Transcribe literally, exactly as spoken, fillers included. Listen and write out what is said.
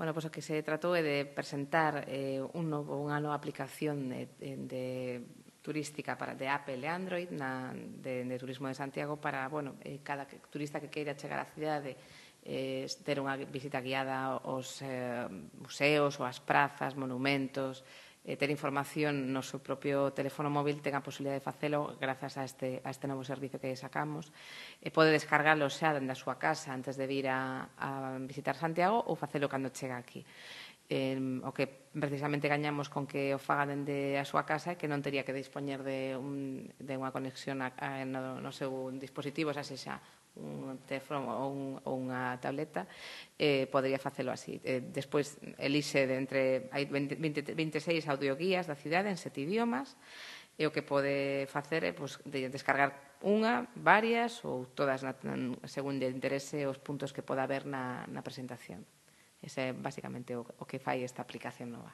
Bueno, pois o que se tratou é de presentar eh, un novo, unha nova aplicación de, de turística para, de Apple e Android na, de, de Turismo de Santiago para, bueno, eh, cada turista que queira chegar á cidade eh, ter unha visita guiada aos eh, museos ou ás prazas, monumentos, eh, ter información no seu propio teléfono móvil, ten a posibilidade de facelo grazas a este, a este novo servicio que sacamos. E pode descargalo xa dende a súa casa antes de vir a, a visitar Santiago ou facelo cando chega aquí. Eh, o que precisamente gañamos con que o faga dende a súa casa é que non tería que dispoñer de, un, de unha conexión a, a, no, no seu dispositivo, xa sexa un teléfono ou, un, ou unha tableta, eh, podería facelo así. Eh, despois, elixe de entre hai vinte, vinte e seis audioguías da cidade en sete idiomas, e o que pode facer é pues, de descargar unha, varias ou todas na, según de interese os puntos que poda haber na, na presentación. Ese é basicamente o, o que fai esta aplicación nova.